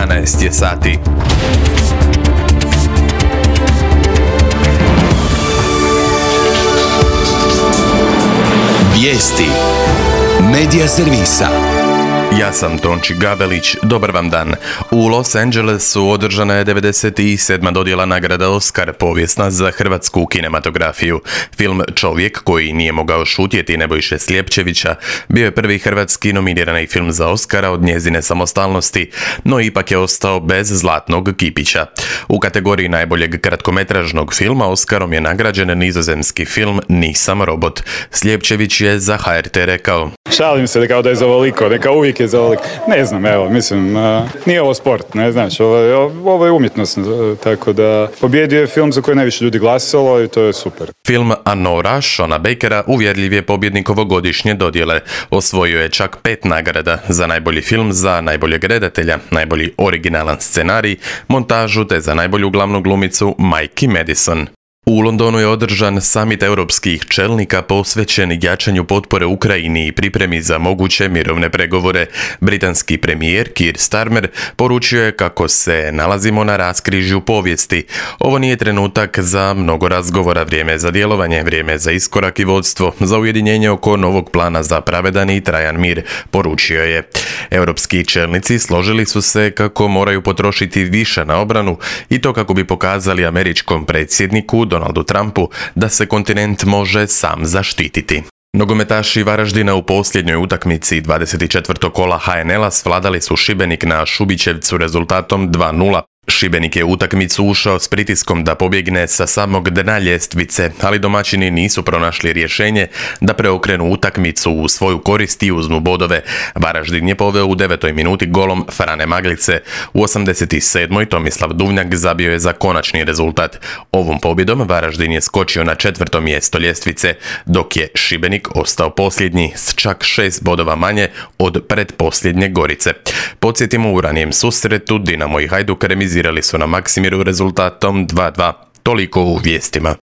11 je sati. Vijesti Medija servisa. Ja sam Tonči Gabelić, dobar vam dan. U Los Angelesu održana je 97. dodjela nagrada Oscar, povijesna za hrvatsku kinematografiju. Film Čovjek koji nije mogao šutjeti Nebojše Sljepčevića bio je prvi hrvatski nominirani film za Oscara od njezine samostalnosti, no ipak je ostao bez zlatnog kipića. U kategoriji najboljeg kratkometražnog filma Oscarom je nagrađen nizozemski film Nisam robot. Sljepčević je za HRT rekao: Šalim se kao da je za ovoliko, neka uvijek je za ovoliko. Ne znam, evo, mislim, nije ovo sport, ne znaš, ovo je umjetnost, tako da pobjedio je film za koji najviše ljudi glasalo i to je super. Film Anora Shona Bakera uvjerljiv je pobjednik ovogodišnje dodjele. Osvojio je čak 5 nagrada za najbolji film, za najboljeg redatelja, najbolji originalan scenarij, montažu te za najbolju glavnu glumicu Mikey Madison. U Londonu je održan samit europskih čelnika posvećen jačanju potpore Ukrajini i pripremi za moguće mirovne pregovore. Britanski premijer Keir Starmer poručio je kako se nalazimo na raskrižju povijesti. Ovo nije trenutak za mnogo razgovora, vrijeme za djelovanje, vrijeme za iskorak i vodstvo, za ujedinjenje oko novog plana za pravedan i trajan mir, poručio je. Europski čelnici složili su se kako moraju potrošiti više na obranu i to kako bi pokazali američkom predsjedniku Donaldu Trumpu da se kontinent može sam zaštititi. Nogometaši Varaždina u posljednjoj utakmici 24. kola HNL-a svladali su Šibenik na Šubićevcu rezultatom 2:0. Šibenik je u utakmicu ušao s pritiskom da pobjegne sa samog dna ljestvice, ali domaćini nisu pronašli rješenje da preokrenu utakmicu u svoju korist i uzmu bodove. Varaždin je poveo u 9. minuti golom Frane Maglice. U 87. Tomislav Duvnjak zabio je za konačni rezultat. Ovom pobjedom Varaždin je skočio na 4. mjesto ljestvice, dok je Šibenik ostao posljednji s čak 6 bodova manje od pretposljednje Gorice. Podsjetimo, u ranijem susretu Dinamo i Hajduk remizirali su na Maksimiru rezultatom 2:2. Toliko u vijestima.